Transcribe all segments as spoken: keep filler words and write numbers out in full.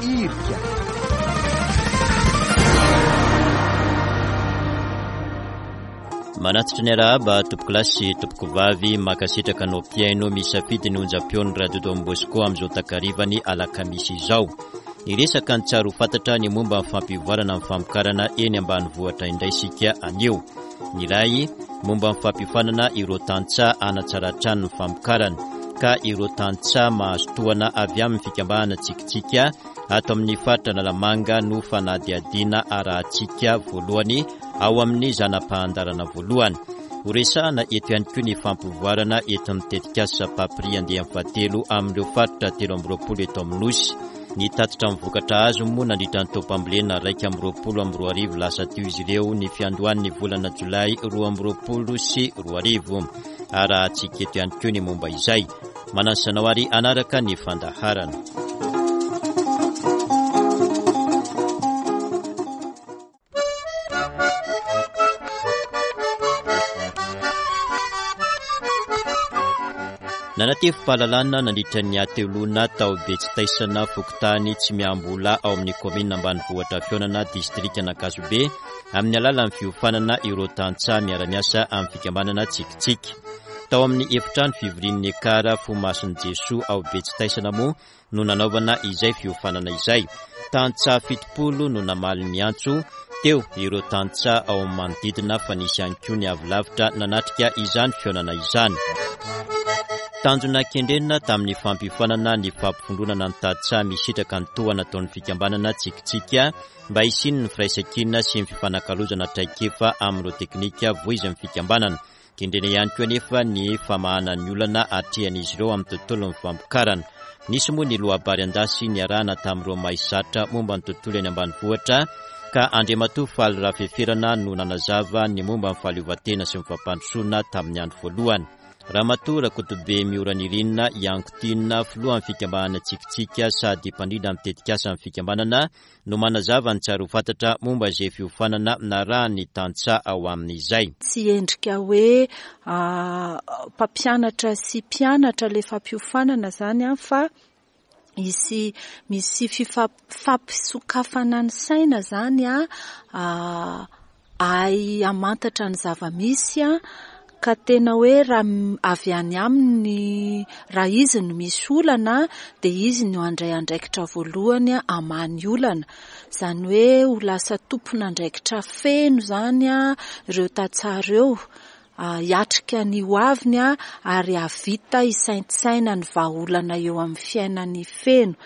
Irika. Manatitra ny arahaba tompokolahy sy tompokovavy, mankasitraka anao mpihaino misafidy ny onjam-peon'ny Radio Don Bosco amin'izao takarivany alakamisy izao. Niresaka ny tsara ho fantatra ny momba ny fampivoarana ny famokarana eny ambanivohitra indray isika anio. Ny iray momba ny fampiofanana ireo tantsaha hanatsara hatrany ny famokarana, ka ireo tantsaha mahazo tohana avy amin'ny fikambanana Tsikitsiky ato amin'ny faritra Analamanga no fanadihadiana arahantsika voalohany ao amin'ny zana-pahandarana voalohany. Horesahana eto ihany koa ny fampivoarana entin'ny tetikasa Papri andiany fahatelo amin'ireo faritra telo amby roapolo eto amin'ny Nosy. Ny tatitra amin'ny vokatra azo moa nandritra ny taom-pambolena iraika amby roapolo amby roa arivo lasa teo izy ireo ny fiandohan'ny volana jolay roa amby roapolo sy roa arivo. Arahantsika eto ihany koa ny momba izay. Manasa anao ary hanaraka ny fandaharana. Nanatevim-pahalalana nandritra ny hateloana tao Betsitaisana, fokontany Tsimiambola ao amin'ny kaominina ambanivohitra Fihaonana, distrikan'Ankazobe, amin'ny alalan'ny fiofanana ireo tantsaha miara-miasa amin'ny fikambanana Tsikitsiky. Tao amin'ny efitrano fivorian'ny Ekar Fomasin'i Jesoa ao Betsitaisana moa no nanaovana izay fiofanana izay. Tantsaha fitopolo no namaly ny antso, teo ireo tantsaha ao amin'ny manodidina fa nisy ihany koa ny avy lavitra nanatrika izany fihaonana izany. Tanjona kendrena tamin'ny fampiofanana ny fampivondronana ny tantsaha misitraka ny tohana ataon'ny fikambanana Tsikitsiky mba hisian'ny firaisankina sy ny fifanakalozana traikefa amin'ireo teknika voizin'ny fikambanana. Kendrena ihany koa anefa ny famahana ny olana atrehan'izy ireo amin'ny tontolon'ny famokarana. Nisy moa ny loabary an-dasy niarahana tamin'ireo mahizatra momba ny tontolo eny ambanivohitra ka Andriamatoa Faly Rafeferana no nanazava ny momba ny fahaleovantena sy ny fampandrosoana tamin'ny andro voalohany. Ramatoa Rakotobe Mioranirina Iankotiana, filohan'ny fikambanana Tsikitsiky sady mpandrindra ny tetikasan'ny fikambanana no manazava ny tsara ho fantatra momba izay fiofanana narahan'ny tantsaha ao amin'izay. Tsy endrika hoe mpampianatra sy mpianatra ilay fampiofanana izany an, fa misy, misy fifa-, fampisokafana ny saina izany an, ahay hamantatra ny zava-misy an, ka tena hoe raha avy any aminy, raha izy no misy olana dia izy no handray andraikitra voalohany hamaha ny olana. Izany hoe ho lasa tompon'andraikitra feno izany an ireo tantsaha ireo, hiatrika ny hoaviny an, ary hahavita hisaintsaina ny vahaolana eo amin'ny fiainany feno.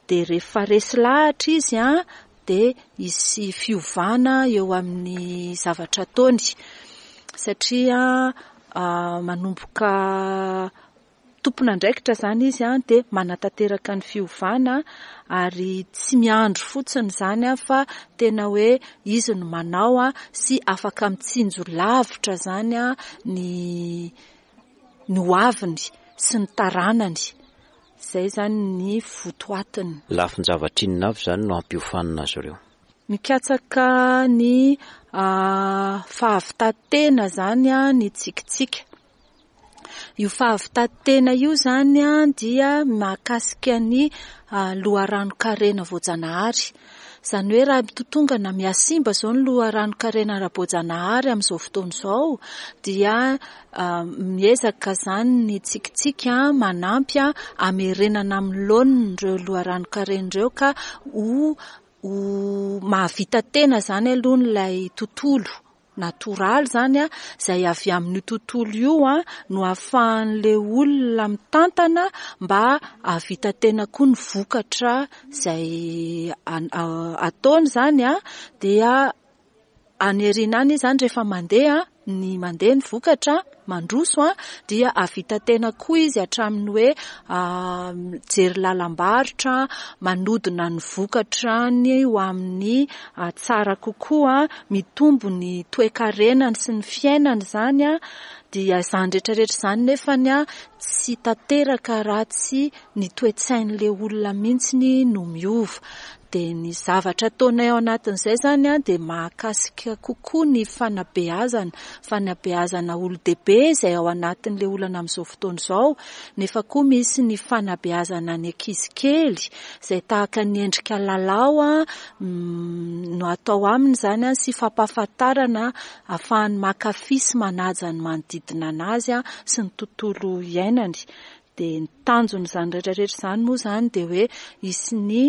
Dia rehefa resy lahatra izy an, dia hisy fiovana eo amin'ny zavatra ataony. Satria manomboka tompon'andraikitra izany izy an, dia manatanteraka ny fiovana ary tsy miandry fotsiny izany an, fa tena hoe izy no manao an, sy afaka mitsinjo lavitra izany an, ny, ny hoaviny sy ny taranany. Izay izany ny votoatiny. Lafin-javatra inona avy izany no hampiofanina azy ireo? Mikatsaka ny fahavitan-tena izany an, ny Tsikitsiky. Io fahavitan-tena io izany an, dia mahakasika ny loharanon-karena voajanahary. Izany hoe raha mitotongana mihasimba izao ny loharanon-karena ara-boajanahary amin'izao fotoana izao, dia miezaka izany ny Tsikitsiky manampy hamerenana amin'ny laoniny ireo loharanon-karena ireo ka ho, ho mahavita tena izany aloha ilay tontolo natoraly izany an, izay avy amin'io tontolo io an no ahafahan'ilay olona mitantana mba hahavita tena koa ny vokatra izay an-, ataony izany an, dia any aoriana any izany rehefa mandeha ny mandeha ny vokatra mandroso an, dia hahavita tena koa izy hatramin'ny hoe, mijery lalam-barotra, manodina ny vokatrany ho amin'ny tsara kokoa, mitombo ny toe-karenany sy ny fiainany izany an, Dia izany rehetrarehetra izany nefany a tsy tanteraka raha tsy ny toe-tsain'ilay olona mihitsy no miova. Dia ny zavatra ataonay ao anatin'izay izany a dia mahakasika kokoa ny fanabeazana, fanabeazana olon-dehibe izay ao anatin'ilay olana amin'izao fotoana izao, nefa koa misy ny fanabeazana ny ankizy kely izay tahaka ny endrika lalao a no atao aminy izany a sy fampahafantarana ahafahany mankafy sy manaja ny manodidina anazy a sy ny tontolo iainany. Dia ny tanjon'izany rehetrarehetra izany moa izany dia hoe hisy ny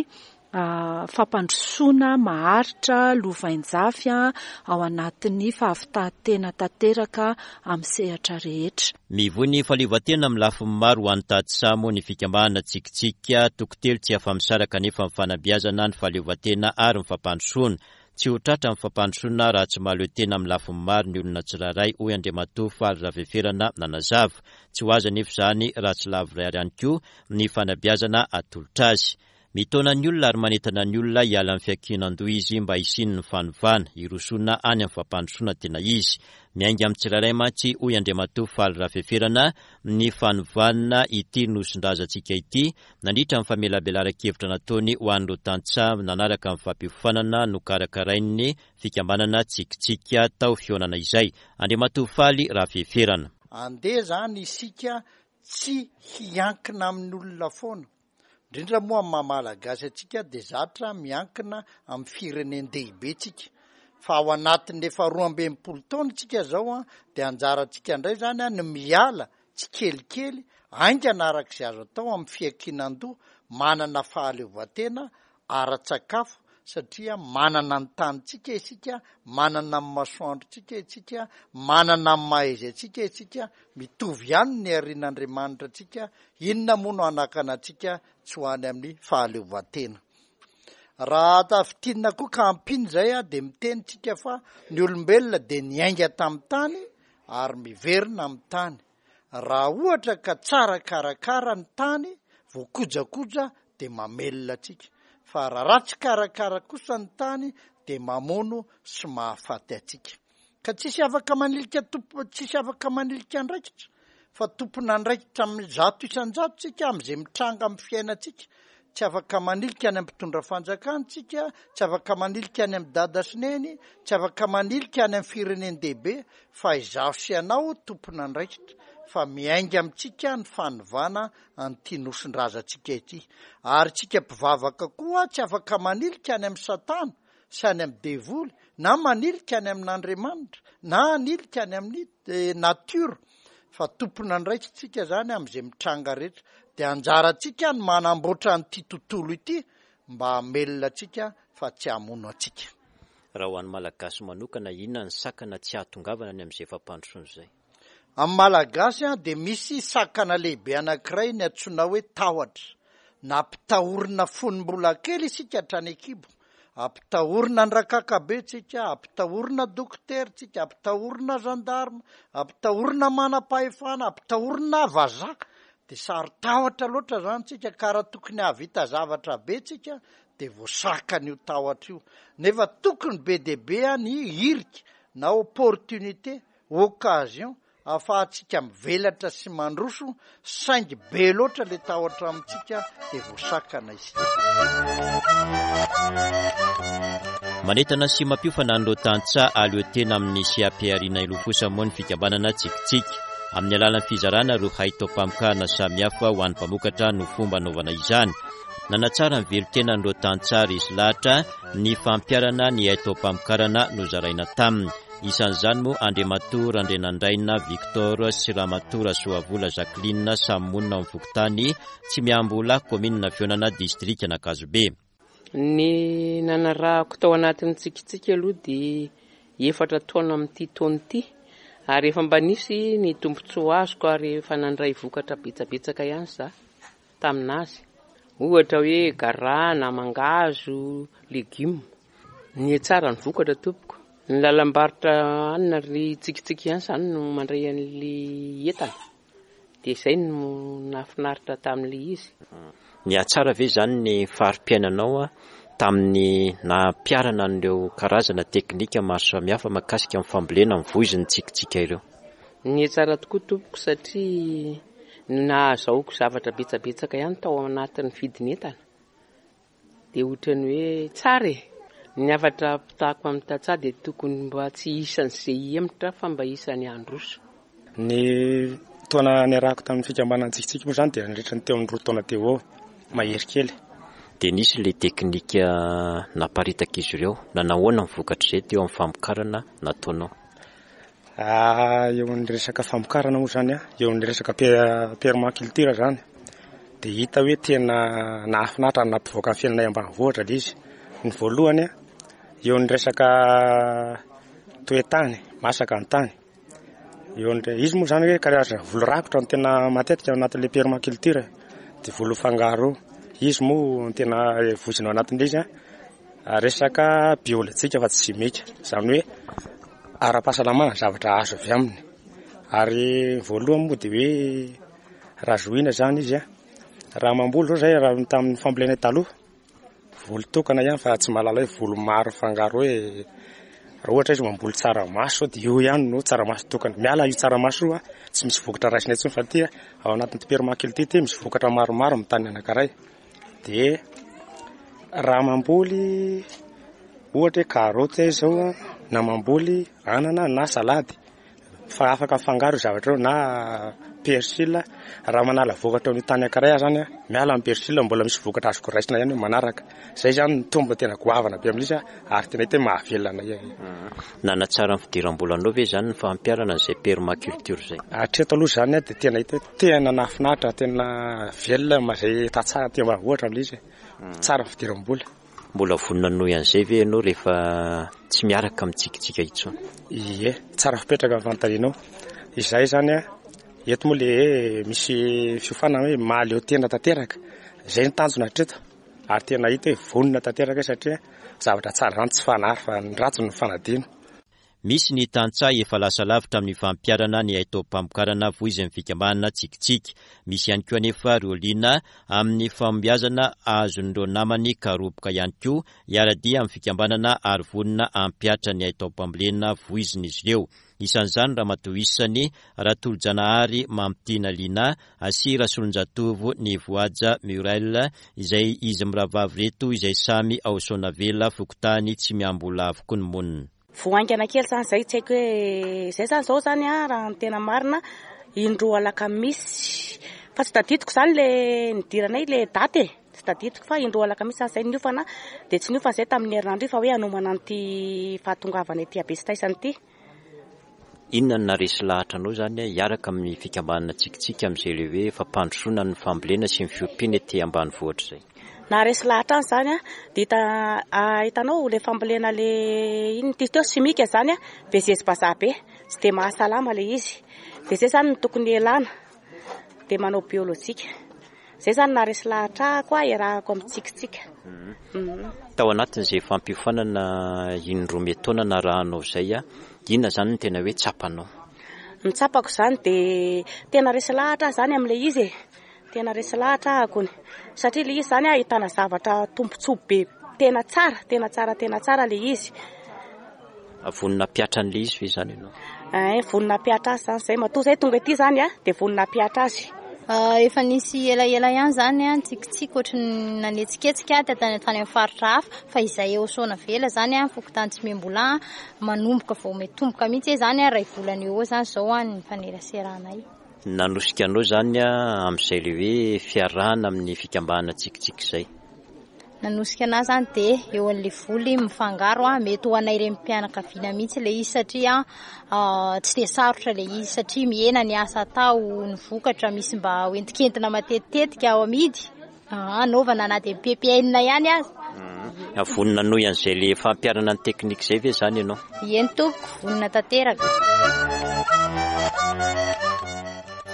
fampandrosoana maharitra lovain-jafy ao anatin'ny fahavitantena tanteraka amin'ny sehatra rehetra. Mivoy ny fahaleovantena amin'ny lafiny maro ho an'ny tantsaha moa ny fikambanana Tsikitsiky, toko telo tsy afa-misaraka nefa ny fanabeazana, ny fahaleovantena ary ny fampandrosoana. Tsy ho tratra ny fampandrosoana raha tsy mahaleo tena amin'ny lafiny maro ny olona tsirairay, hoy Andriamatoa Faly Raveferana nanazava. Tsy ho azo anefa izany raha tsy lavorary ihany koa ny fanabeazana atolotra azy. Mitaona ny olona ary manentana ny olona hiala amin'ny fiankinan-doha izy mba hisian'ny fanovana, hirosoana any amin'ny fampandrosoana tena izy. Miainga amin'ny tsirairay mantsy, hoy Andriamatoa Faly Rafeferana, ny fanovana ity nosin-drazantsika ity nandritra ny famelabelaran-kevitra nataony ho an'ireo tantsaha nanaraka ny fampiofanana nokarakarain'ny fikambanana Tsikitsiky tao fihaonana izay. Andriamatoa Faly Rafeferana. Andeha izany isika tsy hiankina amin'olona foana. Indrindra moa amin'ny maha Malagasy antsika dia zatra miankina amin'ny firenen-dehibe tsika. Fa ao anatin'ny efa roa amby enimpolo taona tsika izao a, dia anjarantsika indray izany a, ny miala tsikelikely haingana araka izay azo atao amin'ny fiankinan-doha, manana fahaleovantena ara-tsakafo satria manana ny tanintsika isika, manana ny masoandrontsika isika, manana ny maha izy antsika isika, mitovy ihany ny harin'Andriamanitra antsika, inona moa no hanakana antsika tsy ho any amin'ny fahaleovantena. Raha tafintinina koa ka ampiana izay dia miteny tsika fa ny olombelona dia niainga tamin'ny tany ary miverina amin'ny tany. Raha ohatra ka tsara karakara ny tany, voakojakoja dia mamelona antsika. Fa raha ratsy karakara kosa ny tany dia mamono sy mahafaty antsika. Ka tsisy afaka manilika tompo, tsisy afaka manilika andraikitra, fa tompon'andraikitra amin'ny zato isan-jato tsika amin'izay mitranga amin'ny fiainantsika. Tsy afaka manilika any amin'ny mpitondra fanjakana tsika, tsy afaka manilika any amin'ny dada sy neny, tsy afaka manilika any amin'ny firenen-dehibe, fa izaho sy ianao tompon'andraikitra, fa miainga amintsika ny fanovana an'ity nosin-drazantsika ity. Ary tsika mpivavaka koa tsy afaka manilika any amin'ny satana sy any amin'ny devoly, na manilika any amin'Andriamanitra, na hanilika any amin'ny natiora, fa tompon'andraikitsika zany amin'izay mitranga rehetra. Dia anjarantsika ny manamboatra an'ity tontolo ity mba hamelona antsika fa tsy hamono antsika. Raha ho an'ny Malagasy manokana, inona ny sakana tsy hahatongavana any amin'izay fampandrosoana izay? Amin'ny Malagasy dia misy sakana lehibe anankiray ny antsoina hoe tahotra. Nampitahorina fony mbola kely isika hatrany an-kibo. Ampitahorina an-drakakabe tsika, ampitahorina dokotera tsika, ampitahorina gendarme, ampitahorina manam-pahefana, ampitahorina vazaha. Dia saro-tahotra loatra izany tsika, ka raha tokony hahavita zavatra be tsika dia voasakana io tahotra io. Nefa tokony be dia be ny hirika na opportunité, occasion ahafahantsika mivelatra sy mandroso, saingy be loatra ilay tahotra amintsika dia voasakana isika. Manentana sy mampiofana an'ireo tantsaha hahaleo tena amin'ny seha-pihariana hilofosa moa ny fikambanana Tsikitsiky. Amin'ny alalan'ny fizarana ireo haitaom-pamokarana samihafa ho an'ny mpamokatra no fomba anaovana izany. Nanatsara ny velon-tenan'ireo tantsaha resy lahatra ny fampiharana ny haitaom-pamokarana nozaraina taminy. Isan'izany moa Andriamatoa Randrianandraina Victor sy Ramatoa Rasoavola Jacqueline samy monina ao amin'ny fokontany Tsimiambola, kaominina Fihaonana, distrikan'Ankazobe. Ny nanarahako tao anatin'ny Tsikitsiky aloha dia efatra taona amin'ity taona ity, ary efa mba nisy ny tombontsoa azoko ary efa nandray vokatra betsabetsaka ihany za taminazy. Ohatra hoe garana, mangahazo, legioma. Nihatsara ny vokatra tompoko. Ny lalam-barotra anina ry Tsikitsiky ihany izany no mandray an'ilay entana. Dia izay no nahafinaritra tamin'ilay izy. Nihatsara ve izany ny fari-piainanao tamin'ny nampiharana an'ireo karazana teknika maro samihafa mahakasika ny fambolena ny voizin'ny Tsikitsiky ireo? Nihatsara tokoa tompoko satria nahazahoako zavatra betsabetsaka ihany tao anatin'ny vidin'entana. Dia ohatran'ny hoe tsara e. Ny hafatra ampitako amin'ny tantsaha dia tokony mba tsy isan'izay hihemotra fa mba isan'ny handroso. Ny taona niarahako tamin'ny fikambanana Tsikitsiky moa izany dia nandritra ny teo amin'ny roa taona teo eo, mahery kely. Dia nisy ilay teknika naparitaka izy ireo. Nanahoana ny vokatr'izay teo amin'ny famokarana nataonao? Ah, eo amin'ny resaka famokarana moa izany, eo amin'ny resaka permaculture izany, dia hita hoe tena nahafinaritra ary nampivoaka ny fiainanay ambanivohitra ilay izy. Ny voalohany, eo amin'ny resaka toetany, masaka ny tany. Eo amin'ny, izy moa izany hoe karazana voly rakotra no tena matetika ao anatin'ilay permaculture, dia voly mifangaro. Izy moa no tena voizina ao anatin'ilay izy, resaka biolojika fa tsy simika, izany hoe ara-pahasalamana ny zavatra azo avy aminy. Ary voalohany moa dia hoe raha zohiana izany izy, raha mamboly zao zay raha tamin'ny fambolena taloha, voly tokana ihany fa tsy mahalala hoe voly maro mifangaro hoe raha ohatra izy mamboly tsaramaso dia io ihany no tsaramaso tokana. Miala io tsaramaso io, tsy misy vokatra raisina intsony fa ity ao anatin'ity permaculture ity misy vokatra maromaro amin'ny tany anankiray. Dia raha mamboly ohatra hoe karaoty izao, na mamboly anana na salady, fa afaka mifangaro io zavatra io, na persil. Raha manala vokatra amin'ny tany anankiray aho zany, miala amin'ny persil mbola misy vokatra azoko raisina ihany manaraka. Zay zany ny tombony tena goavana be amin'izy, ary tena hita hoe mahavelona anay. Nanatsara ny fidiram-bolanao ve zany ny fampiharana an'izay permaculture izay? Hatreto aloha zany dia tena hita hoe tena nahafinaritra, tena velona izay tantsaha aty ambanivohitra amin'izy. Tsara ny fidiram-bola. Mbola vonona hanohy an'izay ve ianao rehefa tsy miaraka amin'ny Tsikitsiky intsony? Ie, tsara fipetraka ny fanontanianao. Izay zany, eto moa le misy fiofanana hoe mahaleo tena tanteraka. Izay ny tanjona hatreto, ary tena hita hoe vonona tanteraka satria zavatra tsara zany tsy fanary fa ny ratsy no fanadino. Misy ny tantsaha efa lasa lavitra amin'ny fampiharana ny haitaom-pamokarana voizin'ny fikambanana Tsikitsiky. Misy ihany koa anefa ireo liana amin'ny fahombiazana azon'ireo namany karoboka ihany koa hiara-dia amin'ny fikambanana ary vonona hampihatra ny haitaom-pambolena voizin'izy ireo. Isan'izany Ramatoa Isany, Ratolojanahary Mamitiana Lina, sy Rasolonjatovo ny Voaja Muriel, izay izy mirahavavy ireto izay samy ao Soanavela, fokontany Tsimiambola avokoa ny monina. Vao haingana kely zany zay, tsy haiko hoe zay zany zao zany a, raha ny tena marina indroa alakamisy, fa tsy tadidiko zany le nidiranay le daty e, tsy tadidiko fa indroa alakamisy zany zay niofana, dia tsy niofana zay tamin'ny herinandro io fa hoe hanomana an'ity fahatongavana ety Abesitaisana ity. Inona no naharesy lahatra anao zany hiaraka amin'ny fikambanana Tsikitsiky amin'izay le hoe fampandrosoana ny fambolena sy ny fiompiana ety ambanivohitra izay? Naharesy lahatra any zany a, dia hita, hitanao le fambolena le iny ty teo simika zany a, be zezi-bazaha be, tsy dia mahasalama le izy. Dia zay zany no tokony hialana, dia manao biolojika. Zay zany naharesy lahatra ahy koa iarahako amin'ny Tsikitsiky. Tao anatin'izay fampiofanana indroa metaona narahanao izay, inona zany no tena hoe tsapanao? Ny tsapako zany dia tena resy lahatra aho zany amin'ilay izy e. Tena resy lahatra aho akony. Satria ilay izy zany ahitana zavatra tombontsoa be, tena tsara, tena tsara, tena tsara ilay izy. Vonona hampiatra an'ilay izy ve zany ianao? Eh, vonona hampiatra azy zany zay. Matoa zay tonga ety zany a, dia vonona hampiatra azy. Efa nisy elaela ihany zany a, Tsikitsiky ohatry ny nanetsiketsika tany tany amin'ny faritra hafa, fa izay eo Soanavela zany a, fokontany Tsimiambola, manomboka vao mitomboka mihitsy zany a, iray volana eo eo zany zao a ny faneraseranay. Nanosika anao zany a amin'izay le hoe fiarahana amin'ny fikambanana Tsikitsiky izay? Nanosika anahy zany dia eo amin'ilay voly mifangaro a, mety ho anay renim-pianakaviana mihitsy ilay izy satria tsy dia sarotra ilay izy satria mihena ny asa atao, ny vokatra misy mba hoentinkentina matetitetika ao amidy, anaovana na dia mipempiainina ihany aza. Vonona hanohy an'izay le fampiharana ny teknika izay ve zany ianao? Eny tompoko, vonona tanteraka.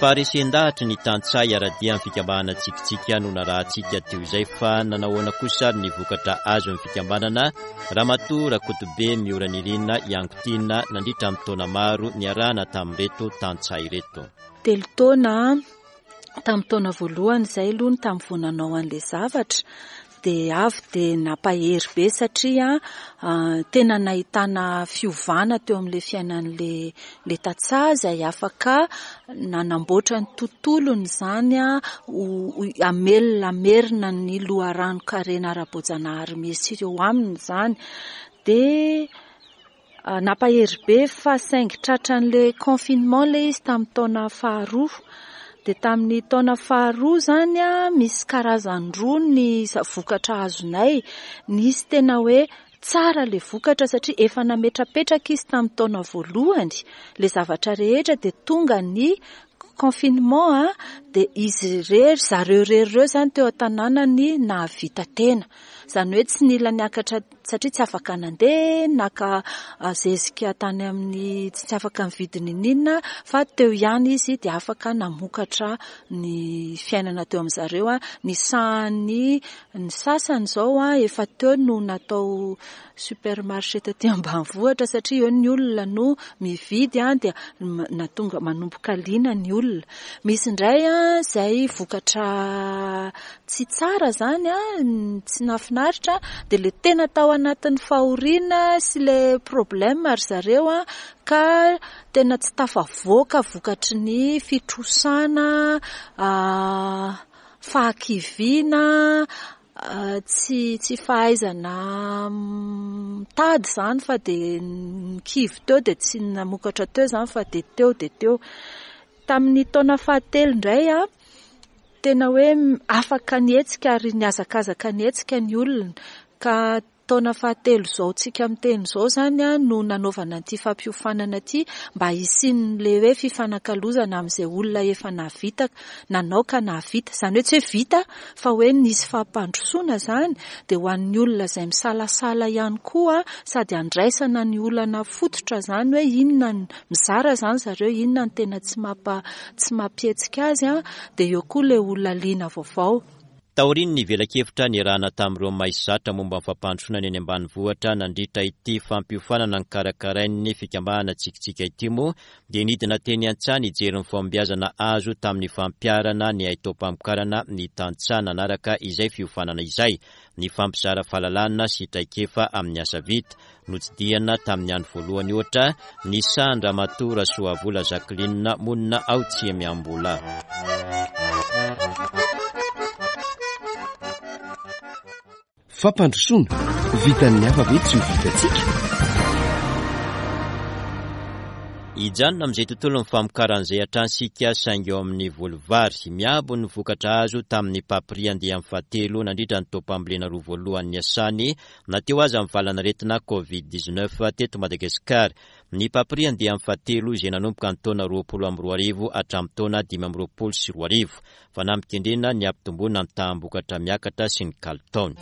Faharesen-dahatry ny tantsaha hiara-dia amin'ny fikambanana Tsikitsiky no narahantsika teo izay, fa nanahoana kosa ny vokatra azon'ny fikambanana Ramatoa Rakotobe Mioranirina Iangotiana nandritra ny taona maro niarahana tamin'ireto tantsaha ireto. Telo taona tamin'ny taona voalohany izay aloha ny tamin'ny vao nanao an'ilay zavatra, dia avy dia nampahery be satria tena nahitana fiovana teo amin'ilay fiainan'ilay ilay tantsaha izay afaka nanamboatra ny tontolony izany ho hamelona hamerina ny loharanon-karena ara-boajanahary misy eo aminy izany. Dia nampahery be fa saingy tratran'ilay confinement ilay izy tamin'ny taona faharoa. Dia tamin'ny taona faharoa izany misy karazany roa ny vokatra azonay. Nisy tena hoe tsara ilay vokatra satria efa nametrapetraka izy tamin'ny taona voalohany. Ilay zavatra rehetra dia tonga ny confinement dia izy irery, zareo irery ireo izany teo an-tanànany nahavita tena. Izany hoe tsy nila niakatra satria tsy afaka nandeha, naka zezika tany amin'ny tsy afaka nividy n'inon'inona fa teo ihany izy dia afaka namokatra ny fiainana teo amin'izareo. Ny sahan'ny ny sasany izao efa teo no natao supermarché taty ambanivohitra satria eo ny olona no mividy dia natonga manomboka liana ny olona. Misy indray izay vokatra tsy tsara izany, tsy nahafinaritra, dia ilay tena tao anatin'ny fahoriana sy ilay problème ry zareo ka tena tsy tafavoaka vokatry ny fitrosana, fahakiviana, tsy tsy fahaizana mitady izany fa dia nikivy teo dia tsy namokatra teo izany fa dia teo dia teo. Tamin'ny taona fahatelo indray tena hoe afaka nihetsika ary nihazakazaka nihetsika ny olona ka taona fahatelo izao tsika miteny izao izany no nanaovana ity fampiofanana ity mba hisian'ilay hoe fifanakalozana amin'izay olona efa nahavita, nanao ka nahavita. Izany hoe tsy hoe vita fa hoe nisy fampandrosoana izany dia ho an'ny olona izay misalasala ihany koa sady andraisana ny olana fototra izany hoe inona ny mizara izany zareo, inona ny tena tsy mampa tsy mampihetsika azy dia eo koa ilay olona liana vaovao. Taorian'ny velakevitra niarahana tamin'ireo maizatra momba ny fampandrosoana ny eny ambanivohitra nandritra ity fampiofanana nokarakarain'ny fikambanana Tsikitsiky ity moa dia nidina teny an-tsaha nijery ny fahombiazana azo tamin'ny fampiharana ny haitaom-pamokarana ny tantsaha nanaraka izay fiofanana izay, ny fampizara fahalalana sy traikefa amin'ny asa vita. Notsidihana tamin'ny andro voalohany ohatra ny sahan-dRamatoa Rasoavola Jacqueline monina ao Tsiemiambola. Fampandrosoana, vitan'ny hafa ve tsy ho vitantsika? Hijanona amin'izay tontolon'ny famokaran'izay hatrany isika saingy eo amin'ny voly vary. Miabo ny vokatra azo tamin'ny papri andiany fahatelo nandritra ny taom-pambolena roa voalohany niasany na teo aza ny valanaretina covid dix-neuf teto Madagasikara. Ny papri andiany fahatelo izay nanomboka ny taona roapolo amby roa arivo hatramin'ny taona dimy amby roapolo sy roa arivo. Fanampikendrena ny hampitomboana ny taham-bokatra miakatra sy ny kalitaony.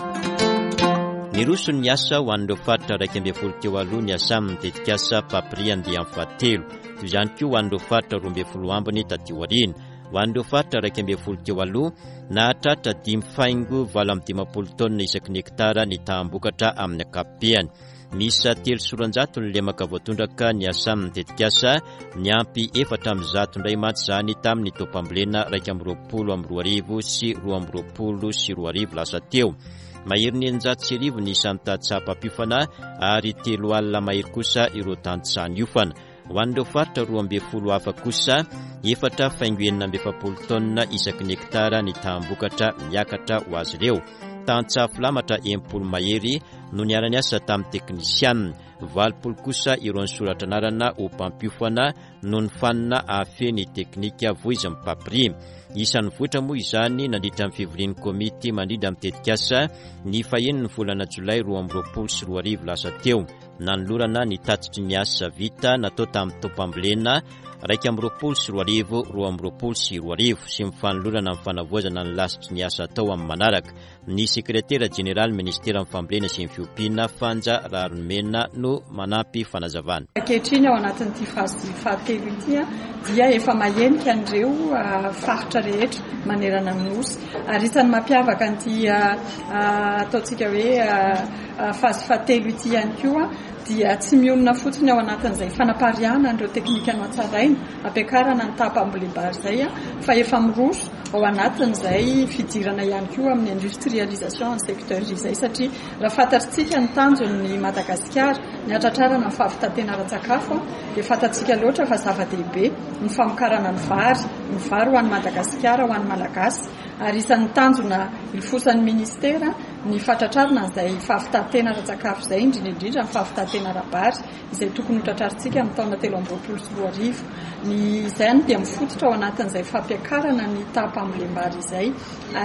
Niroso ny asa ho an'ireo faritra iraika ambin'ny folo teo aloha ny asa amin'ny tetikasa papri andiany fahatelo. Toy izany koa ho an'ireo faritra roa ambin'ny folo ambiny taty aoriana. Ho an'ireo faritra iraika ambin'ny folo teo aloha, nahatratra dimy faingo valo amby dimampolo taonina isaky ny hektara ny taham-bokatra amin'ny ankapobeny. Miisa telo sy roanjato ny lemaka voatondraka ny asa amin'ny tetikasa, niampy efatra amby zato indray mantsy izany tamin'ny taom-pambolena iraika amby roapolo amby roa arivo sy roa amby roapolo sy roa arivo lasa teo. Mahery ny eninjato sy arivo ny isan'ny tantsaha mpampiofana ary telo alina mahery kosa ireo tantsaha niofana. Ho an'ireo faritra roa ambin'ny folo hafa kosa, efatra faingo enina amby efapolo taonina isaky ny hektara ny taham-bokatra miakatra ho azy ireo. Tantsaha filamatra enimpolo mahery no niara-niasa tamin'ny teknisianina. Valopolo kosa ireo nisoratra anarana ho mpampiofana noho ny fanina ahafehy ny teknika voizin'ny papri. Isan'ny vohitra moa izany nandritra ny fivorian'ny komity mandrindra amin'ny tetikasa ny fahenin'ny volana jolay roa amby roapolo sy roa arivo lasa teo. Nanolorana ny tatitry ny asa vita natao tamin'ny taom-pambolena iraika amby roapolo sy roa arivo, roa amby roapolo sy roa arivo sy ny fanolorana ny fanavaozana ny lasitry ny asa atao amin'ny manaraka. Ny sekretera jeneraly ministeran'ny fambolena sy ny fiompiana Fanja Raharimena no manampy fanazavana. Ankehitriny ao anatin'ity phase fahatelo ity dia efa mahenika an'ireo faritra rehetra manerana ny nosy. Ary isan'ny mampiavaka an'ity ataontsika hoe phase fahatelo ity ihany koa dia tsy mionona fotsiny ao anatin'izay fanapariahana an'ireo teknika nohatsaraina ampiakarana ny taham-pambolem-bary izay, fa efa miroso ao anatin'izay fidirana ihany koa amin'ny industrialisation ny secteur izay, satria raha fantatsika ny tanjon'ny Madagasikara ny hatratrarana ny fahavitantena ara-tsakafo dia fantatsika loatra fa zava-dehibe ny famokarana ny vary, ny vary ho an'i Madagasikara, ho an'ny Malagasy, ary isan'ny tanjona ilofosan'ny ministera ny fatratrarana izay fahavitantena ara-tsakafo izay, indrindra indrindra ny fahavitantena ara-bary izay tokony ho tratrarintsika amin'ny taona telo amby roapolo sy roa arivo. Ny izany dia mifototra ao anatin'izay fampiakarana ny taham-pambolem-bary izay,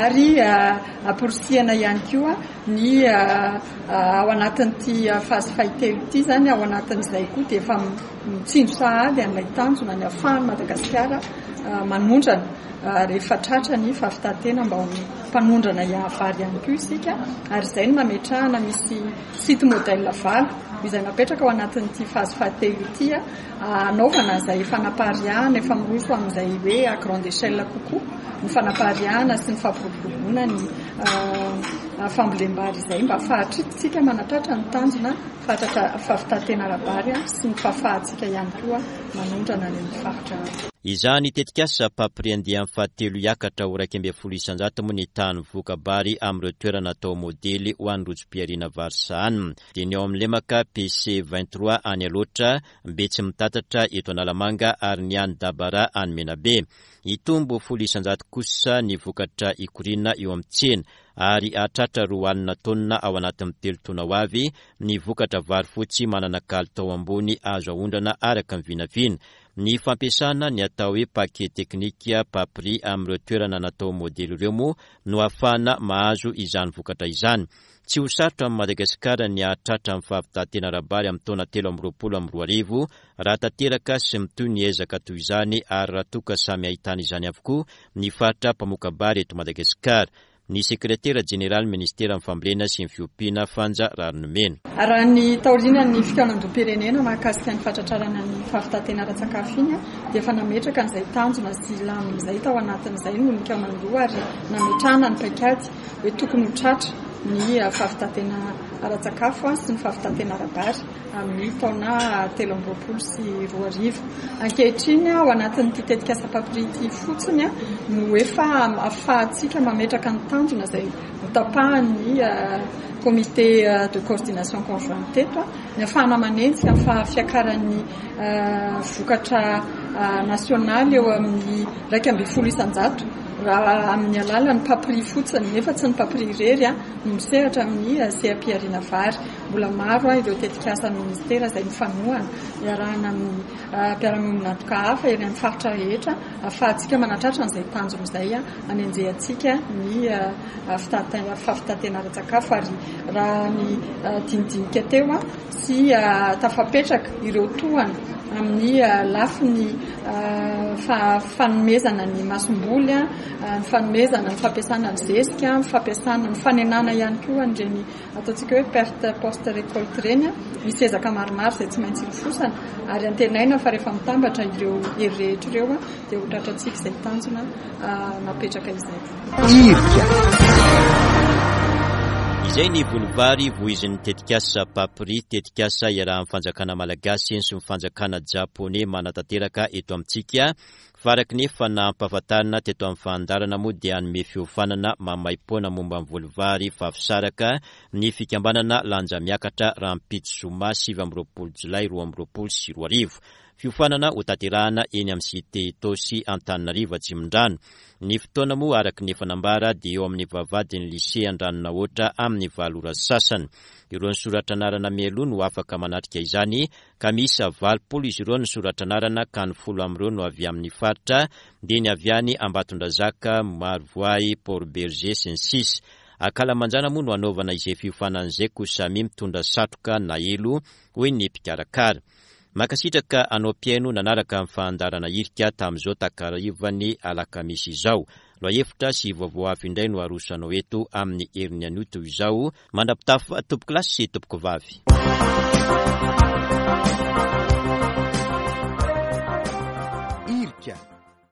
ary amporisihana ihany koa ny ao anatin'ity phase fahatelo ity izany, ao anatin'izay koa dia efa mitsinjo sahady an'ilay tanjona ny ahafahan'i Madagasikara manondrana rehefa tratra ny fahavitantena mba ho mpanondrana vary ihany koa isika, ary izay no nametrahana misy site modèle valo izay napetraka ao anatin'ity phase fahatelo ity hanaovana izay fanapariahana efa miroso amin'izay hoe à grande échelle kokoa ny fanapariahana sy ny fampiroboroboana ny fambolem-bary izay mba ahafahantsika manatratra ny tanjona fahavitantena ara-bary sy ny fahafahantsika ihany koa manondrana any amin'ny faritra. Izany tetikasa PAPRI andiany fahatelo hiakatra ho iraika ambin'ny folo isanjato moa ny tahan'ny voka-bary amin'ireo toerana atao modely ho an'ny rojom-pihariana vary sahanina. Dia ny ao amin'ny lemaka P C vingt-trois any Alaotra, Betsimitatatra eto Analamanga ary ny any Dabara any Menabe. Hitombo folo isanjato kosa ny vokatra ikoriana eo amin'ny tsena, ary hahatratra roa alina taonina ao anatin'ny telo taona ho avy ny vokatra vary fotsy manana kalitao ambony azo aondrana araka ny vinavina. Ny fampiasana ny atao hoe paquet teknika PAPRI amin'ireo toerana natao modely ireo moa no ahafahana mahazo izany vokatra izany. Tsy ho sarotra amin'i Madagasikara ny hahatratra ny fahavitantena ara-bary amin'ny taona telo amby roapolo amby roa arivo raha tanteraka sy mitohy ny ezaka toy izany, ary raha toa ka samy ahitana izany avokoa ny faritra mpamoka-bary eto Madagasikara. Ny sekretera jeneraly ministeran'ny fambolena sy ny fiompiana Fanja Raharinimena. Raha ny taorian'ny fikaonandoham-pirenena mahakasika ny fatratrarana ny fahavitantena ara-tsakafo iny dia efa nametraka an'izay tanjona sy lamina izay tao anatin'izay no nikaonandoha, ary nametrahana ny paikady hoe tokony ho tratra ny fahavitantena ara-tsakafo sy ny fahavitantena ara-bary amin'ny taona telo amby roapolo sy roa arivo. Ankehitriny ao anatin'ity tetikasa PAPRI ity fotsiny no efa ahafahantsika mametraka ny tanjona izay notapahan'ny comité de coordination conjointe teto, ny ahafahana manenjika ny fahafiakaran'ny vokatra nasionaly eo amin'ny iraika ambin'ny folo isanjato raha amin'ny alalan'ny PAPRI fotsiny, nefa tsy ny PAPRI irery no misehatra amin'ny seha-pihariana vary. Mbola maro ireo tetikasa ministera izay mifanohana iarahana amin'ny mpiara-miombon'antoka hafa eny amin'ny faritra rehetra ahafahantsika manatratra an'izay tanjona izay anenjehantsika ny fahavitantena ara-tsakafo. Ary raha ny dinidinika teo sy tafapetraka ireo tohana amin'ny lafiny fanomezana ny masomboly, ny fanomezana ny fampiasana ny zezika, ny fampiasana ny fanenana ihany koa an'ireny ataontsika hoe perte post récolte ireny, misy ezaka maromaro izay tsy maintsy ilofosana, ary antenaina fa rehefa mitambatra ireo hery rehetra ireo dia ho tratrantsika izay tanjona napetraka izay. Irika. Izay ny volovary voizin'ny tetikasa PAPRI, tetikasa iarahan'ny fanjakana malagasy sy ny fanjakana japoney manatanteraka eto amintsika. Fa araka ny efa nampahafantarina teto amin'ny fandaharana moa dia hanome fiofanana maimaimpoana momba ny volovary vavy ny fikambanana Lanja Miakatra rahampitso zoma sivy amby roapolo jolay roa amby roapolo sy roa arivo. Fiofanana ho tanterahana eny amin'ny cité Itaosy Antananarivo Atsimondrano. Ny fotoana moa araka ny efa nambara dia eo amin'ny vavahadin'ny lycée Andranonahoatra amin'ny valo ora sasany. Ireo nisoratra anarana mialoha no afaka manatrika izany, ka miisa valopolo izy ireo nisoratra anarana, ka ny folo amin'ireo no avy amin'ny faritra, dia ny avy any Ambatondrazaka, Marovoay, Port Bergé sy ny sisa. Ankalamanjana moa no hanaovana izay fiofanana izay, koa samy mitondra satroka na elo, hoy ny mpikarakara. Mankasitraka anao mpihaino nanaraka ny fandaharana Irika tamin'izao takarivan'ny alakamisy izao. Lohahevitra sy vaovao hafa indray no aroso anao eto amin'ny herin'ny anio toy izao. Mandra-pitafa tompoko lahy sy tompoko vavy.